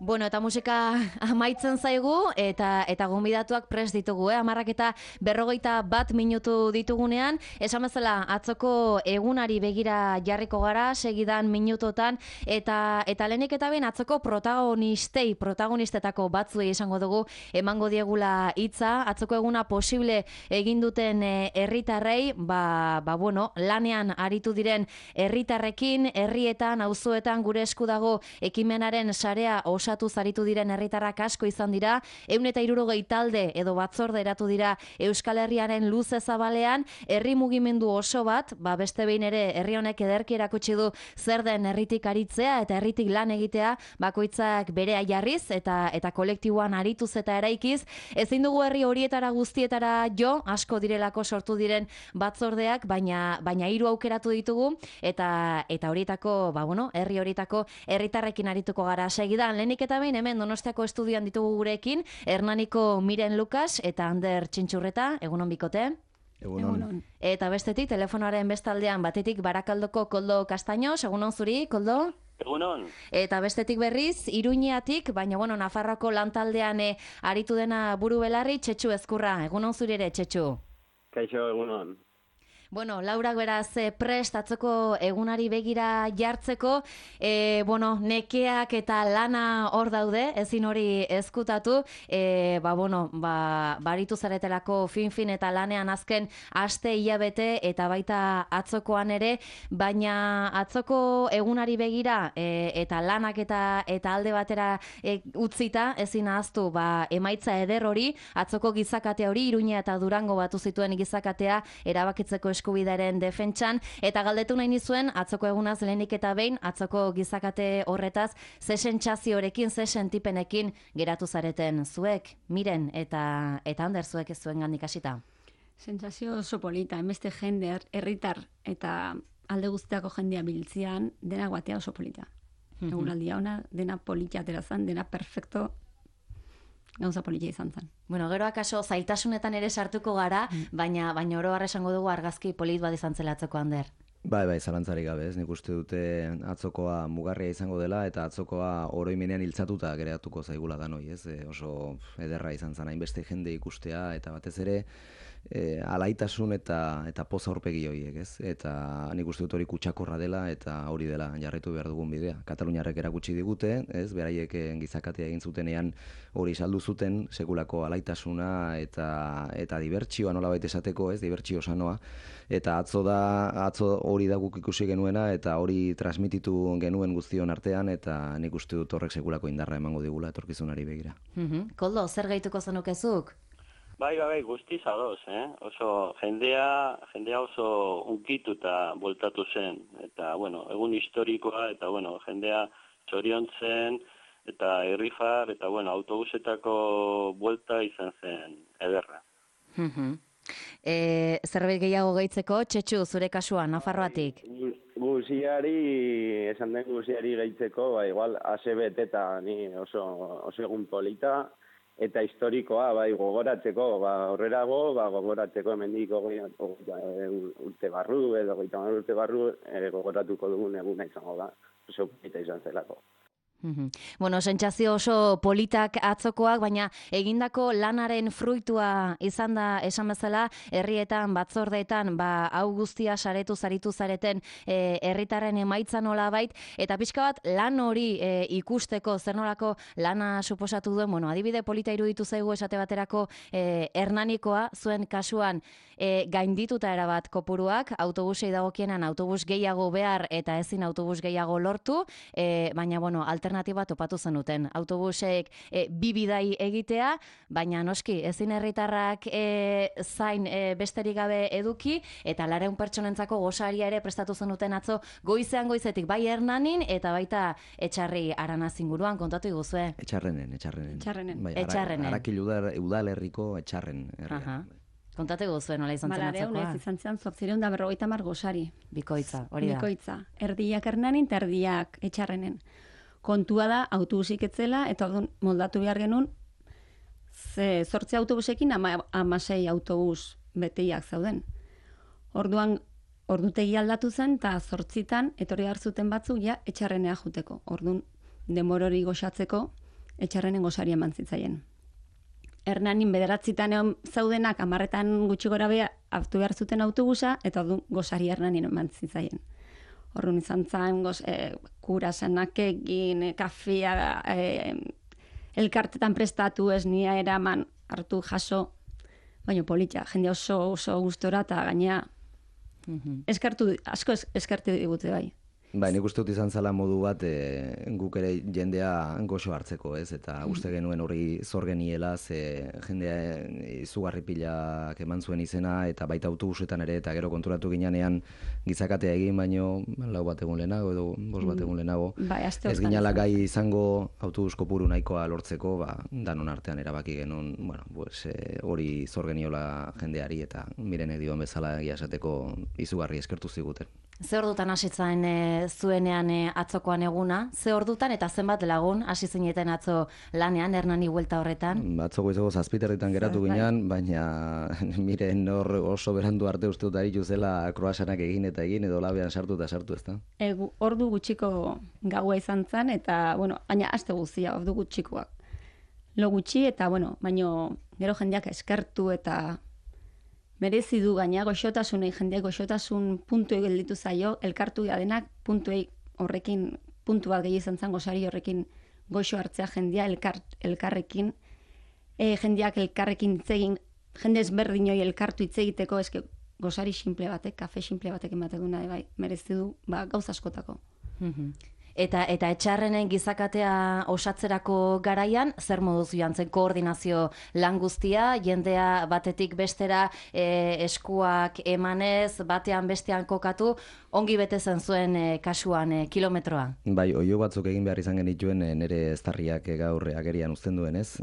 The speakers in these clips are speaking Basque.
Bueno, eta musika amaitzen zaigu, eta gonbidatuak prest ditugu, 11:41 ditugunean, esan bezala atzoko egunari begira jarriko gara, segidan minutotan, eta lehenik eta behin atzoko protagonistetako batzuei esango dugu, emango diegula hitza, atzoko eguna posible egin duten herritarrei, bueno, lanean aritu diren herritarrekin, herrietan, auzoetan gure esku dago ekimenaren sarea osatu zaritu diren herritarrak asko izan dira, 160 talde edo batzorde eratu dira Euskal Herriaren luze zabalean, herri mugimendu oso bat, beste behin ere herri honek ederki erakutsi du zer den herritik aritzea eta herritik lan egitea, bakoitzak berea jarriz eta kolektiboan arituz eta eraikiz, ezin dugu herri horietara guztietara jo, asko direlako sortu diren batzordeak, baina 3 aukeratu ditugu, eta horietako, herri horietako herritarrekin arituko gara segidan. Lehenik eta behin hemen Donostiako estudioan ditugu gurekin, Hernaniko Miren Lukas eta Ander Txintxurreta, egunon bikote. Egunon. Eta bestetik, telefonoaren bestaldean batetik Barakaldoko Koldo Castaños, egunon zuri, Koldo? Egunon. Eta bestetik berriz, Iruñeatik, baina Nafarroako lantaldean aritu dena buru belarri, Txetxu Ezkurra, egunon zuri ere, Txetxu? Kaixo, egunon. Bueno, Laurak beraz prest atzoko egunari begira jartzeko, nekeak eta lana hor daude, ezin hori ezkutatu, baritu zaretelako fin eta lanean azken aste hilabete eta baita atzokoan ere, baina atzoko egunari begira eta lanak eta alde batera utzita, ezin ahaztu emaitza eder hori, atzoko gizakatea hori, Iruña eta Durango batu zituen gizakatea erabakitzeko eskubidaren defentsan, eta galdetu nahi nizuen, atzoko egunaz lehenik eta behin, atzoko gizakate horretaz, ze sentsaziorekin, ze sentipenekin geratu zareten zuek, Miren, eta Ander zuek ez zuen gandik hasita? Sentsazio oso polita, emeste jende, herritar eta alde guztiako jendea biltzian, dena guatea oso polita. Eguraldia ona, dena polita aterazan, dena perfecto, gauza politia izan zen. Bueno, gero akaso zailtasunetan ere sartuko gara, baina oro har esango dugu argazki polit bat izan zela atzoko, Ander. Bai, zalantzarik gabe, nik uste dute atzokoa mugarria izango dela, eta atzokoa oroimenean hiltzatuta geratuko zaigula danoi, ez? Oso ederra izan zen, hainbeste jende ikustea, eta batez ere, alaitasun eta poza aurpegi horiek, ez? Eta nik uste dut hori kutsakorra dela, eta hori dela jarraitu behar dugun bidea. Kataluniarrek erakutsi digute, ez? Beraiek gizakatea egin zutenean hori saldu zuten, sekulako alaitasuna eta dibertsioa nolabait esateko, ez? Dibertsio sanoa, eta atzo hori da guk ikusi genuena, eta hori transmititu genuen guztion artean, eta nik uste dut horrek sekulako indarra emango digula etorkizunari begira. Koldo, zer gehituko zenukezuk? Bai, guztiz adoz, oso jendea oso unkituta bueltatu zen, eta, egun historikoa, eta, jendea txoriontzen, eta irrifar, eta, autobusetako buelta izan zen ederra. Zerbait gehiago gehitzeko, Txetxu, zure kasuan, Nafarroatik? Esan den guziari gehitzeko, igual, ASB eta ni oso egun polita, eta historikoa, gogoratzeko, horrerago, gogoratzeko hemendik urte barru, edo 30 urte barru, gogoratuko dugun eguna izango da, oso polita izan zelako. Sentsazio oso politak atzokoak, baina egindako lanaren fruitua izan da esan bezala, herrietan, batzordeetan, hau guztia saretu zaritu zareten herritarren emaitza nolabait, eta pixka bat lan hori ikusteko zer nolako lana suposatu duen, adibide polita iruditu zaigu esate baterako Hernanikoa, zuen kasuan gaindituta erabat kopuruak, autobusei dagokienan autobus gehiago behar eta ezin autobus gehiago lortu, baina alternatiba topatu zenuten. Autobusek bi bidai egitea, baina noski ezin herritarrak zain besterik gabe eduki, eta 400 pertsonentzako gosaria ere prestatu zenuten atzo goizetik bai Hernanin eta baita Etxarri Aranaz inguruan, kontatu iguzue. Etxarrenen. Etxarrenen. Arakil udalerriko Etxarren herria. Kontatu iguzue nola izan zen atzokoa. Malareun ez izan zen 850 gosari. Bikoitza, hori da. Bikoitza. Erdiak Hernanin eta erdiak Etxarrenen. Kontua da, autobusik etzela, eta moldatu behar genuen, 8 autobusekin 16 autobus beteiak zauden. Orduan, ordutegi aldatu zen, eta 8 etorri hartzuten batzuk, Etxarrenea juteko. Orduan, demorori goxatzeko, etxarrenen gosari eman zitzaien. Hernanin 9 egon zaudenak 10 gutxi gora bea hartu behar zuten autobusa, eta gosari Hernanin eman zitzaien. Horren izan zain, kurasanak egin, kafea, elkartetan prestatu ez nia eraman hartu jaso, baina politxa, jende oso gustora eta gainea asko eskertu digute bai. Bai, nik uste dut izan zala modu bat guk ere jendea goxo hartzeko, ez? Eta uste genuen hori zor geniela, ze jendea izugarri pilak eman zuen izena, eta baita autobusetan ere, eta gero konturatu ginean gizakatea egin, baino 4 bat egun lehenago edo 5 bat egun lehenago. Bai, ez ginala gai izango autobus kopuru nahikoa lortzeko, danon artean erabaki genuen, bueno, hori zor geniola jendeari, eta mirenek dioen bezala egia esateko izugarri eskertu ziguten. Ze ordutan hasitzen zuenean atzokoan eguna? Ze ordutan eta zenbat lagun hasi zineten atzo lanean Hernani buelta horretan? Atzoko izango 7 geratu ginean, baina miren hor oso berandu arte uste dut aritu zela kroasanak egin edo labean sartu ezta? Ordu gutxiko gaua izan zen, eta, bueno, baina aste guztia ordu gutxikoak. Lo gutxi, eta, bueno, baino gero jendeak eskertu eta merezi du gaina goxotasunei, jendeak goxotasun puntuei gelditu zaio, elkartu denak puntuei horrekin, puntu bat gehi izan zen gosari horrekin goxo hartzea jendea elkarrekin, jendeak elkarrekin itzegin, jende ezberdinoi elkartu hitz egiteko, eske gosari simple batek, kafe simple batek ematen duna, bai, merezi du, gauza askotako. Eta etxarrenen gizakatea osatzerako garaian, zer moduz joan zen koordinazio lan guztia, jendea batetik bestera eskuak emanez, batean bestean kokatu, ongi bete zen zuen kasuan kilometroa? Bai, oio batzuk egin behar izan genituen nire eztarriak gaur agerian uzten duen, ez?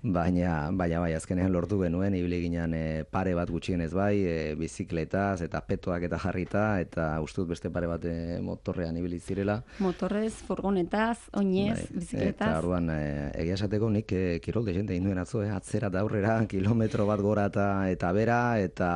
Baina bai, azkenean lortu genuen, ibili ginen pare bat gutxienez bai, bizikletaz eta petoak eta jarrita, eta ustut beste pare bat motorrean ibili zirela. Motorrez, furgonetaz, oinez, bizikletaz. Eta orduan, egia esateko nik kirol dezente induen atzo, atzera eta aurrera, kilometro bat gora eta bera, eta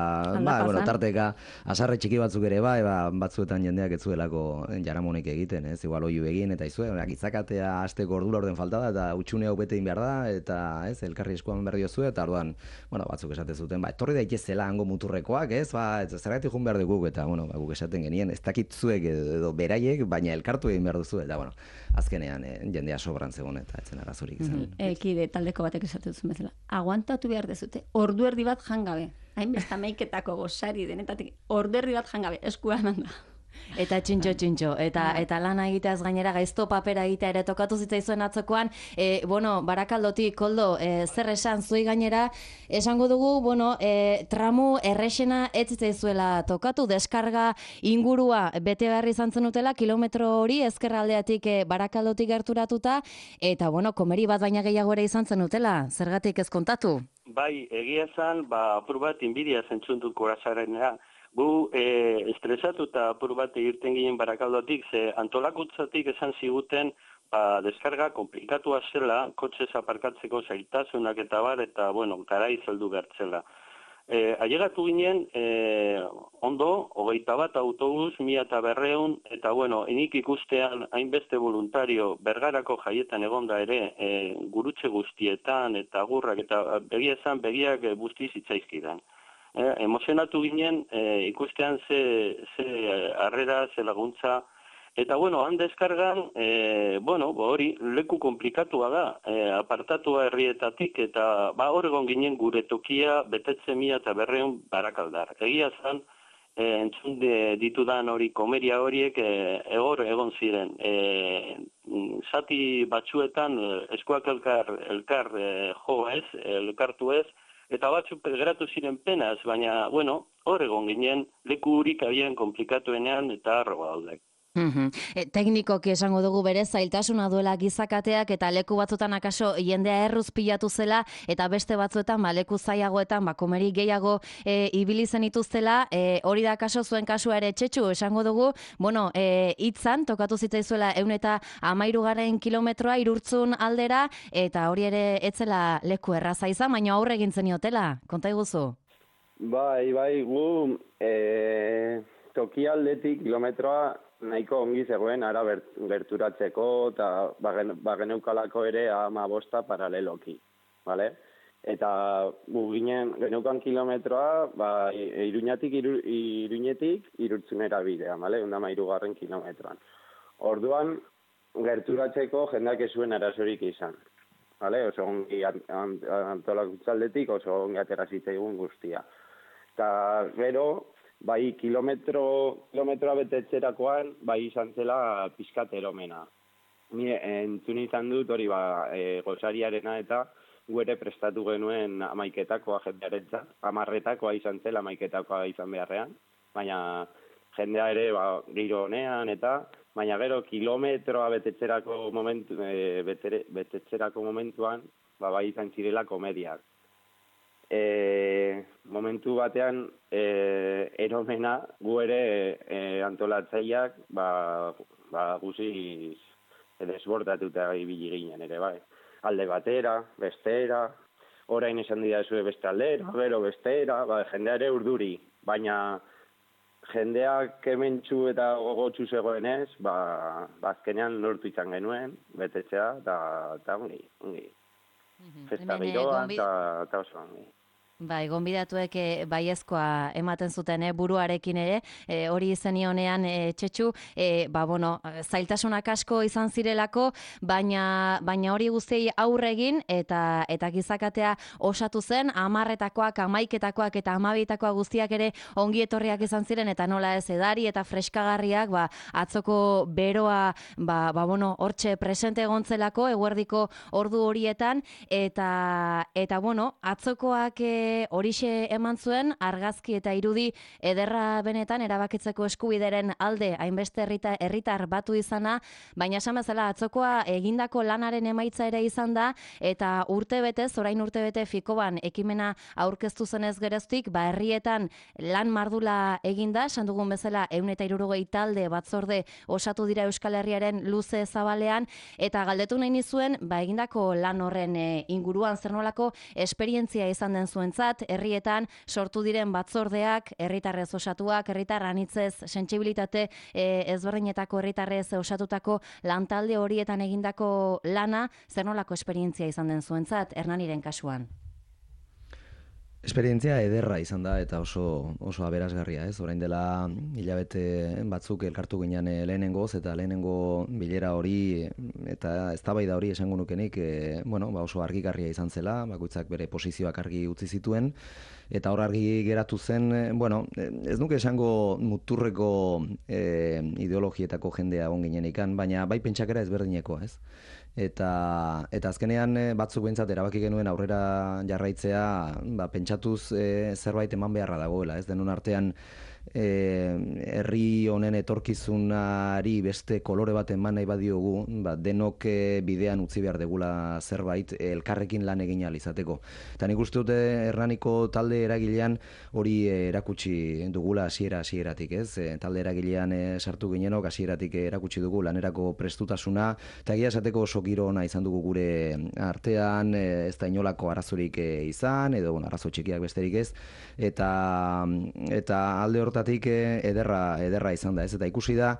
tarteka asarre txiki batzuk ere bai, batzuetan jendeak ez zuelako jaramonik egiten, ez, igual oiu egin, eta izue, gizakatea hasteko ordura orden falta da, eta utxune hau bete behar da, eta ez, elkarri eskuan berdio zuen, eta orduan, batzuk esate zuten, etorri daitezela hango muturrekoak, ez, zergatik jun behar duguk, eta, guk esaten genien, ez dakit zuek edo beraiek, baina elkartu egin behar duzu, eta, azkenean jendea sobran zegoen, eta etzen arazorik izan. Kide taldeko batek esatu duzu bezala. Aguantatu behar dezute, ordu erdi bat jangabe. Hainbesta meiketako gosari denetatik, ordu erdi bat jangabe, eskua eman da. Eta txintxo, eta lana egiteaz gainera gaizto papera egitea ere tokatu zitzaizuen atzokoan, Barakaldotik, Koldo, zer esan zuei gainera, esango dugu, tramu errexena ez zitzaizuela tokatu, deskarga ingurua bete behar izan zenutela, kilometro hori ezkerraldeatik Barakaldotik gerturatuta, eta komeri bat baina gehiago ere izan zenutela, zergatik ez kontatu? Bai, egia esan, apur bat inbidia zentzuntu kurasarena. Gu estresatu eta apur bat irten ginen Barakaldotik, ze antolakutzatik esan ziguten deskarga komplikatua zela, kotxez aparkatzeko zailtasunak eta bar, eta, garai zeldu bertzela. Ailegatu ginen, ondo, 21 autobus, 1200, eta, enik ikustean hainbeste voluntario Bergarako jaietan egonda ere, gurutze guztietan, eta gurrak, eta begiak guztiz itzaizkidan. Emozionatu ginen, ikustean ze harrera, ze laguntza, eta han deskargan, hori leku komplikatua da, apartatua herrietatik, eta hor egon ginen gure tokia betetze 1200 Barakaldar. Egia zan, entzun ditudan hori komeria horiek egon ziren. Zati batzuetan eskuak elkar jo ez, elkartu ez, eta batzuk geratu ziren penaz, baina, hor egon ginen, leku hurik abian komplikatuenean eta arroa daudek. Teknikoki esango dugu bere zailtasuna duela gizakateak, eta leku batzutan akaso jendea erruz pilatu zela, eta beste batzuetan leku zailagoetan komeri gehiago ibili zen ituztela, hori da akaso zuen kasua ere txetxu, esango dugu, hitzan tokatu zitzaizuela 113 kilometroa Irurtzun aldera, eta hori ere etzela leku erraza izan, baina aurre egin zeniotela, konta iguzu? Bai, gu toki aldetik kilometroa nahiko ongi zegoen ara gerturatzeko, eta geneukalako ere 15 paraleloki, bale? Eta geneukan kilometroa, Iruñetik Irurtzunera bidea, bale? 13. kilometroan. Orduan, gerturatzeko jendeak ez zuen arazorik izan. Vale? Oso ongi antolakutzaldetik, oso ongi atera zitzaigun guztia. Eta gero, bai kilometroa betetzerakoan, bai izan zela pizkat eromena. Ni entzun izan dut hori gozariarena eta gu ere prestatu genuen 11etakoa jendearentzat, 10etakoa izan zela 11etakoa izan beharrean, baina jendea ere giro honean eta baina gero kilometroa betetzerako momentuan bai izan zirela komediak. Momentu batean eromena gu ere antolatzaileak guziz desbordatuta ibili ginen ere bai. Alde batera, bestera, orain esan didazue beste aldera, gero bestera, jendea ere urduri, baina jendeak hementsu eta gogotsu zegoenez, azkenean lortu izan genuen, betetzea, eta ongi. Festa giroan, eta oso ongi. Bai, gonbidatuek baiezkoa ematen zuten buruarekin ere, hori zenionean Txetxu, zailtasunak asko izan zirelako, baina hori guztiei aurre egin eta gizakatea osatu zen, 10etakoak, 11etakoak eta 12etakoak guztiak ere ongi etorriak izan ziren, eta nola ez edari eta freskagarriak, atzoko beroa, hortxe presente egontzelako, eguerdiko ordu horietan, eta atzokoak horixe eman zuen, argazki eta irudi ederra benetan erabakitzeko eskubideren alde hainbeste herritar batu izana, baina esan bezala atzokoa egindako lanaren emaitza ere izan da, eta orain urtebete Fikoban ekimena aurkeztu zenez geroztik, herrietan lan mardula eginda, esan dugun bezala 160 talde batzorde osatu dira Euskal Herriaren luze zabalean, eta galdetu nahi nizuen, egindako lan horren inguruan zer nolako esperientzia izan den zuen herrietan sortu diren batzordeak, herritarrez osatuak, herritar anitzez sentsibilitate ezberdinetako herritarrez osatutako lantalde horietan egindako lana, zer nolako esperientzia izan den zuentzat, Hernaniren kasuan? Esperientzia ederra izan da eta oso aberasgarria, ez? Orain dela hilabete batzuk elkartu ginen lehenengoz, eta lehenengo bilera hori eta eztabaida hori esango nukenik, oso argigarria izan zela, bakoitzak bere posizioak argi utzi zituen, eta hor argi geratu zen, ez nuke esango muturreko ideologietako jendea on ginenikan, baina bai pentsakera ezberdineko, ez? Eta azkenean batzuk behintzat erabaki genuen aurrera jarraitzea, pentsatuz zerbait eman beharra dagoela, ez denon artean herri honen etorkizunari beste kolore bat eman nahi badiogu, denok bidean utzi behar degula zerbait elkarrekin lan egin ahal izateko. Eta nik uste dute Hernaniko talde eragilean hori erakutsi dugula hasieratik, ez? Talde eragilean sartu ginenok hasieratik erakutsi dugu lanerako prestutasuna, eta egia esateko oso giro ona izan dugu gure artean, ez da inolako arazorik izan, edo arazo txikiak besterik ez, eta alde hortatik ederra izan da, ez? Eta ikusi da,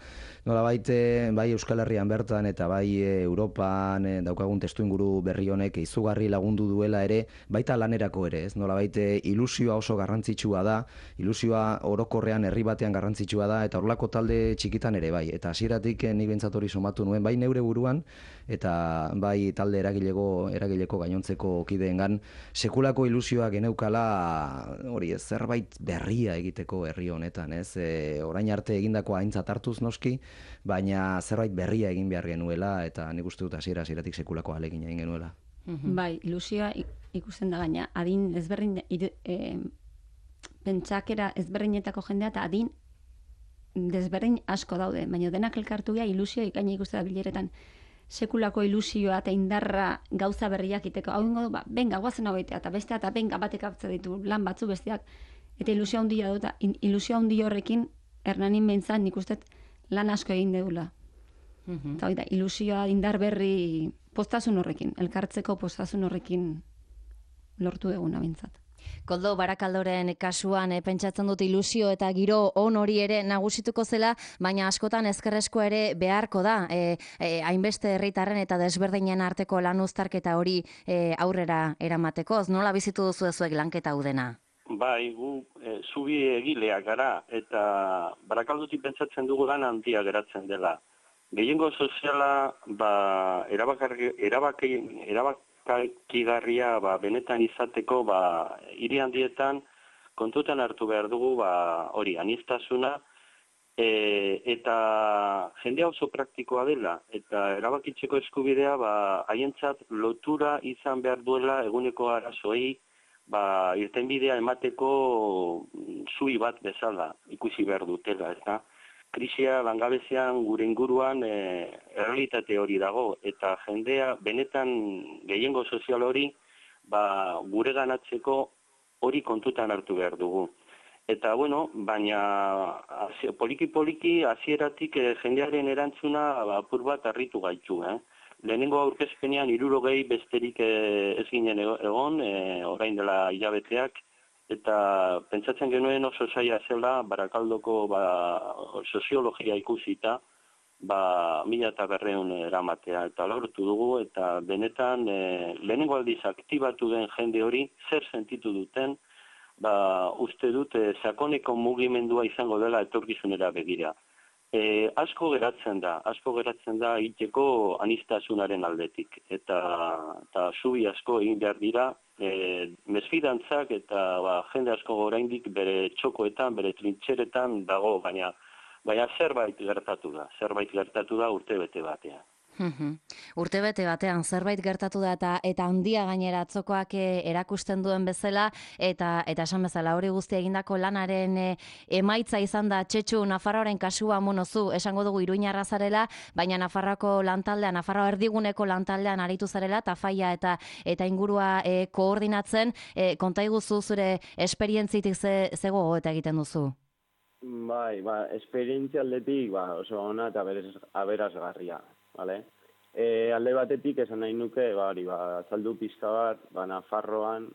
nolabait bai Euskal Herrian bertan eta bai Europan daukagun testuinguru berri honek izugarri lagundu duela ere, baita lanerako ere, ez? Nolabait ilusioa oso garrantzitsua da, ilusioa orokorrean herri batean garrantzitsua da, eta horlako talde txikitan ere bai. Eta hasieratik ni behintzat hori somatu nuen, bai neure buruan, eta bai talde eragileko gainontzeko kideengan sekulako ilusioa geneukala hori ez, zerbait berria egiteko herri honetan, ez? Orain arte egindakoa aintzat hartuz noski, baina zerbait berria egin behar genuela, eta nik uste dut hasieratik sekulako ahalegin egin genuela. Bai, ilusioa ikusten da, baina adin ezberdin, pentsakera ezberdinetako jendea eta adin desberdin asko daude, baina denak elkartu gea ilusioa ikaina ikusten da bileretan sekulako ilusioa eta indarra gauza berriak iteko. Hau ingo du, benga, guazen hau egitea, eta bestea, eta benga batek hartzen ditu lan batzu besteak, eta ilusioa handia dut, ilusioa handi horrekin Hernanin behintzat nik uste lan asko egin deula. Eta hori da, ilusioa indar berri poztasun horrekin, elkartzeko poztasun horrekin lortu eguna behintzat. Koldo, Barakaldoren kasuan pentsatzen dut ilusio eta giro on hori ere nagusituko zela, baina askotan ezkerrezko ere beharko da, hainbeste herritarren eta desberdinen arteko lan uztarketa hori aurrera eramateko. Nola bizitu duzu zuek lanketa hau dena? Bai, gu zubi egileak gara, eta Barakaldotik pentsatzen dugu lan handia geratzen dela. Gehiengo soziala erabakigarria benetan izateko hiri handietan kontutan hartu behar dugu hori aniztasuna eta jendea oso praktikoa dela eta erabakitzeko eskubidea haientzat lotura izan behar duela eguneko arazoei irtenbidea emateko zui bat bezala ikusi behar dutela, eta krisia, langabezian, gure inguruan errealitate hori dago, eta jendea benetan gehiengo sozial hori gure ganatzeko hori kontutan hartu behar dugu. Eta, bueno, baina poliki-poliki hasieratik jendearen erantzuna apur bat harritu gaitu. Lehenengo aurkezpenean 60 besterik ez ginen egon, orain dela hilabeteak, eta pentsatzen genuen oso zaila zela Barakaldoko soziologia ikusita 1200 eramatea, eta lortu dugu, eta benetan lehenengo aldiz aktibatu den jende hori zer sentitu duten, uste dut sakoneko mugimendua izango dela etorkizunera begira. Asko geratzen da egiteko anistasunaren aldetik, eta zubi asko egin behar dira, mesfidantzak eta jende asko oraindik bere txokoetan, bere trintxeretan dago, baina zerbait gertatu da urtebete batean. Urtebete batean zerbait gertatu da eta handia gainera atzokoak erakusten duen bezala eta esan bezala hori guztia egindako lanaren emaitza izan da Txetxu Nafarroaren kasua monozu, esango dugu Iruñarra zarela, baina Nafarroako lantaldean, Nafarroa erdiguneko lantaldean aritu zarela, Tafaia eta ingurua koordinatzen, konta iguzu zure esperientzitik ze gogoeta egiten duzu? Bai, esperientzia aldetik oso ona eta aberasgarria. Vale? Alde batetik esan nahi nuke, azaldu pizka bat, Nafarroan,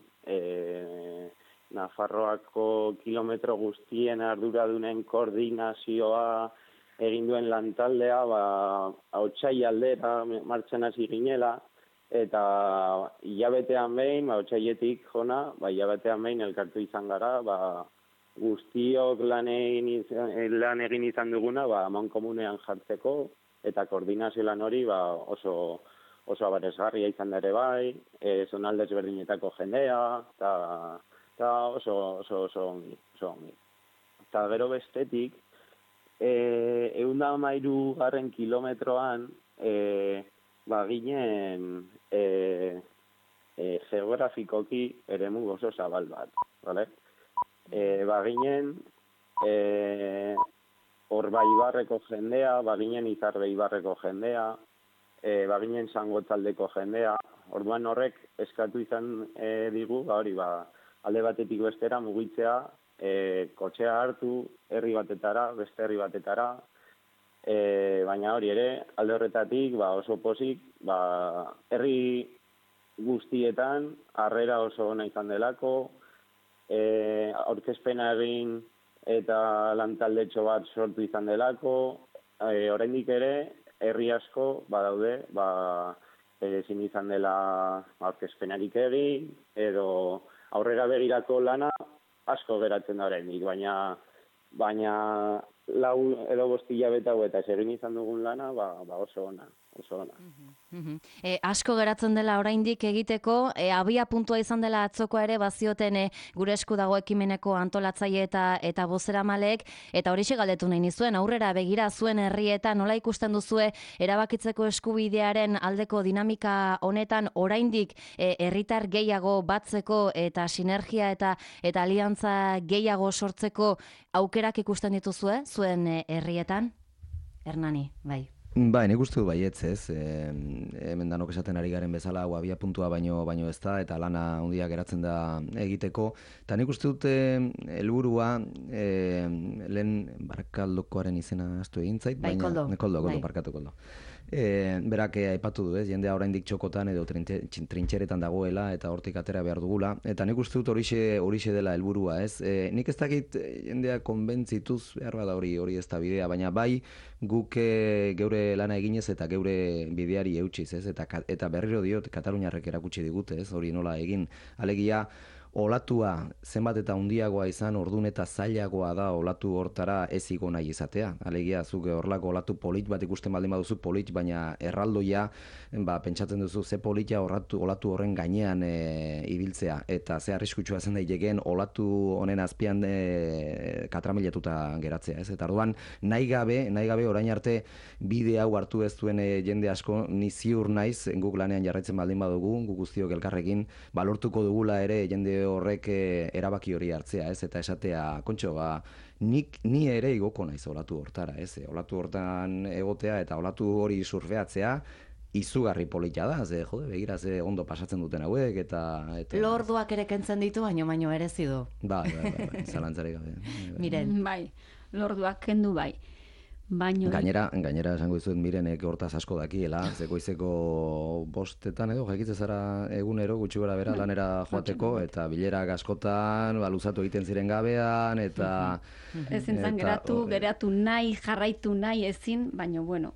Nafarroako kilometro guztien arduradunen koordinazioa egin duen lantaldea, Otsai aldera martxan hasi ginela, eta hilabetean behin, Otsailetik jona, hilabetean behin elkartu izan gara, guztiok lan egin izan duguna, amankomunean jartzeko, eta koordinazio lan hori oso aberasgarria izan da ere bai, zonalde ezberdinetako jendea, eta oso ongi. Eta gero bestetik, 113 kilometroan ginen geografikoki eremu oso zabal bat, bale? Ginen Orba Ibarreko jendea, baginen Izarbe Ibarreko jendea, baginen Zangotzaldeko jendea. Orduan horrek eskatu izan digu, alde batetik bestera mugitzea, kotxea hartu, herri batetara, beste herri batetara, baina hori ere, alde horretatik oso pozik, herri guztietan, harrera oso ona izan delako, aurkezpena egin, eta lantaldetxo bat sortu izan delako, oraindik ere, herri asko badaude, ezin izan dela aurkezpenarik egin, edo aurrera begirako lana asko geratzen da oraindik, baina 4 edo 5 hilabete hauetan egin izan dugun lana, oso ona. Asko geratzen dela oraindik egiteko, abia puntua izan dela atzokoa ere bazioten gure esku dago ekimeneko antolatzaile eta bozeramaleek, eta horixe galdetu nahi nizuen, aurrera begira zuen herrietan nola ikusten duzue erabakitzeko eskubidearen aldeko dinamika honetan oraindik herritar gehiago batzeko eta sinergia eta aliantza gehiago sortzeko aukerak ikusten dituzue zuen herrietan? Hernani, bai. Bai, nik uste du baietz, ez. Hemen danok esaten ari garen bezala, abia puntua baino ez da, eta lana handia geratzen da egiteko. Eta nik uste dute helburua lehen Barakaldokoaren izena astu egin zait, baina Koldo, barkatu Koldo. berak aipatu du, jendea oraindik txokotan edo trintxeretan dagoela eta hortik atera behar dugula. Eta nik uste dut horixe dela helburua, ez? Nik ez dakit jendea konbentzituz behar bada hori ez da bidea, baina bai guk geure lana eginez eta geure bideari eutsiz, ez? Eta berriro diot Kataluniarrek erakutsi digute, ez? Hori nola egin. Alegia, olatua zenbat eta handiagoa izan, ordun eta zailagoa da olatu hortara ez igo nahi izatea. Alegia, zuk horlako olatu polit bat ikusten baldin baduzu polit, baina erraldoia, pentsatzen duzu ze politia olatu horren gainean ibiltzea. Eta ze arriskutsua zen daitekeen olatu honen azpian katramilatuta geratzea. Ez? Eta orduan, nahi gabe orain arte bide hau hartu ez duen jende asko, ni ziur naiz, guk lanean jarraitzen baldin badugu, guk guztiok elkarrekin, balortuko dugula ere jende horrek erabaki hori hartzea, ez? Eta esatea, kontxo, ni ere igoko naiz olatu hortara, ez? Olatu hortan egotea eta olatu hori surfeatzea izugarri polita da, begira ze ondo pasatzen duten hauek eta Lorduak ere kentzen ditu, baino ere zidu. Bai, zalantzarik gabe. Miren. Bai, lorduak kendu bai. Baino... Gainera esango dizuet Mirenek hortaz asko dakiela, zekoizeko 5 edo jakitze zara egunero gutxi gora bera lanera joateko eta bilerak askotan luzatu egiten ziren gabean eta ezin zan geratu nahi, jarraitu nahi ezin, baina bueno,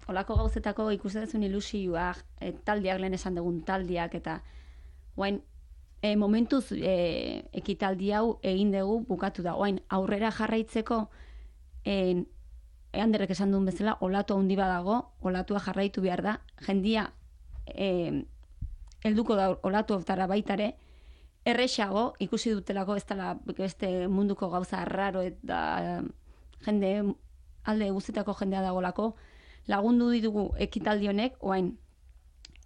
olako gauzetako ikusten ilusioa, taldiak lehen esan dugun taldiak eta guain momentuz ekitaldi hau egin dugu bukatu da. Guain aurrera jarraitzeko Anderrek esan duen bezala, olatu handi badago, olatua jarraitu behar da, jendia helduko da olatu hortara baitare, errexago, ikusi dutelako ez dela beste munduko gauza raro eta jende, alde guztietako jendea dagolako, lagundu ditugu ekitaldi honek, oain,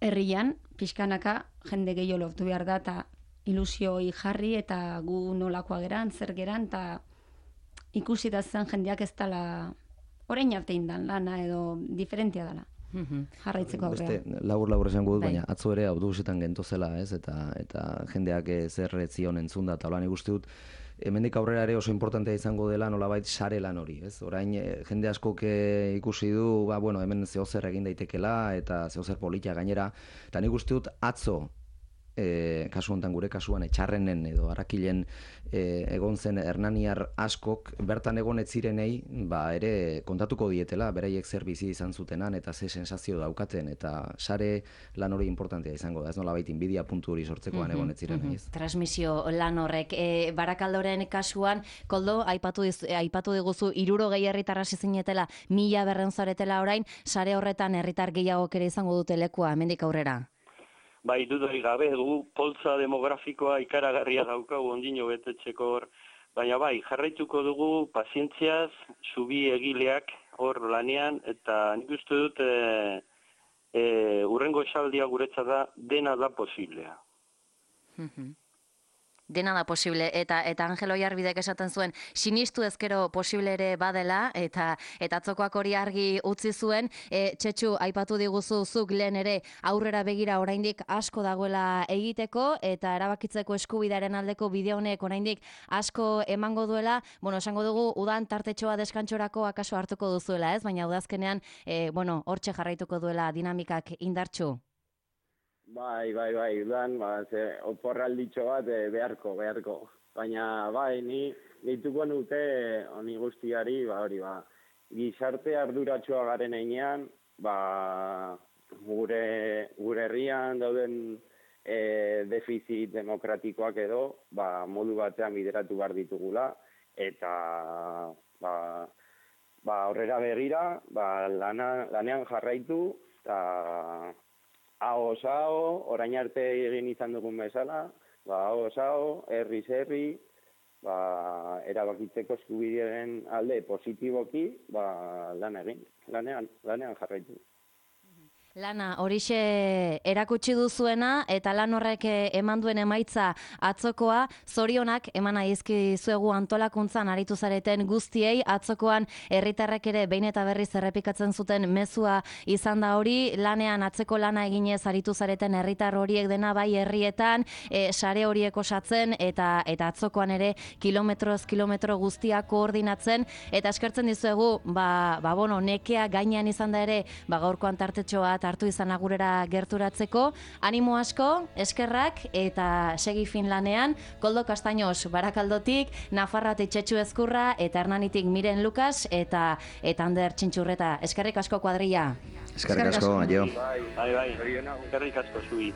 herrian, pixkanaka, jende gehiago lortu behar da, eta ilusioi jarri, eta gu nolakoa geran, zer geran, eta ikusi da zen jendeak ez dela orain arte indan lana edo diferentia dela. Jarraitzeko aurrea. Beste labur esango dut, baina atzo ere autobusetan gentozela, ez? Eta jendeak zer zion entzun da, eta holan ikusti dut, hemendik aurrera ere oso importantea izango dela nolabait sare lan hori, ez? Orain jende askok ikusi du, hemen zehozer egin daitekela eta zehozer politia gainera, eta nik uste dut atzo kasu honetan gure kasuan etxarrenen edo arakilen egon zen hernaniar askok bertan egon ez zirenei ere kontatuko dietela beraiek zer bizi izan zutenan eta ze sensazio daukaten eta sare lan hori importantea izango da, ez nolabait inbidia puntu hori sortzekoan egon ez zirenei. Transmisio lan horrek Barakaldoren kasuan, Koldo, aipatu diguzu 60 herritar hasi zinetela, 1200 zaretela orain, sare horretan herritar gehiagok ere izango dute lekua hemendik aurrera. Bai, dudari gabe, poltza demografikoa ikaragarria daukagu ondino betetzeko hor. Baina bai, jarraituko dugu pazientziaz, zubi egileak hor lanean, eta nik uste dut urrengo esaldia guretzat da, dena da posiblea. Dena da posible, eta Angelo Jarbidek esaten zuen, sinistu ezkero posible ere badela, eta atzokoak hori argi utzi zuen, Txetxu, aipatu diguzu zuk lehen ere aurrera begira oraindik asko dagoela egiteko, eta erabakitzeko eskubidearen aldeko bide honek oraindik asko emango duela, esango dugu, udan tartetxoa deskantxorako akaso hartuko duzuela, ez? Baina udazkenean, hortxe jarraituko duela dinamikak indartxu. Bai, udan, oporralditxo bat beharko. Baina, nituko nute honi guztiari, gizarte arduratsua garen einean, gure herrian dauden defizit demokratikoak edo, modu batean bideratu behar ditugula, eta horrera begira, lanean jarraitu, eta hau, orain arte egin izan dugun bezala, hau, herri, erabakitzeko eskubideen alde positiboki, lanean jarraitu. Lana, horixe erakutsi duzuena eta lan horrek eman duen emaitza atzokoa, zorionak eman aizkizuegu antolakuntzan aritu zareten guztiei, atzokoan herritarrek ere behin eta berriz errepikatzen zuten mezua izan da hori, lanean atzeko lana eginez aritu zareten herritar horiek dena bai herrietan, sare horiek osatzen eta atzokoan ere kilometro guztia koordinatzen, eta eskertzen dizuegu, nekea gainean izan da ere, gaurkoan tartetxoa hartu izan agurera gerturatzeko. Animo asko, eskerrak eta segi fin lanean. Koldo Castaños Barakaldotik, Nafarroatik Txetxu Ezkurra eta Hernanitik Miren Lukas eta Ander Txintxurreta. Eskerrik asko kuadrilla. Eskerrik asko, aio. Bai, eskerrik asko zui.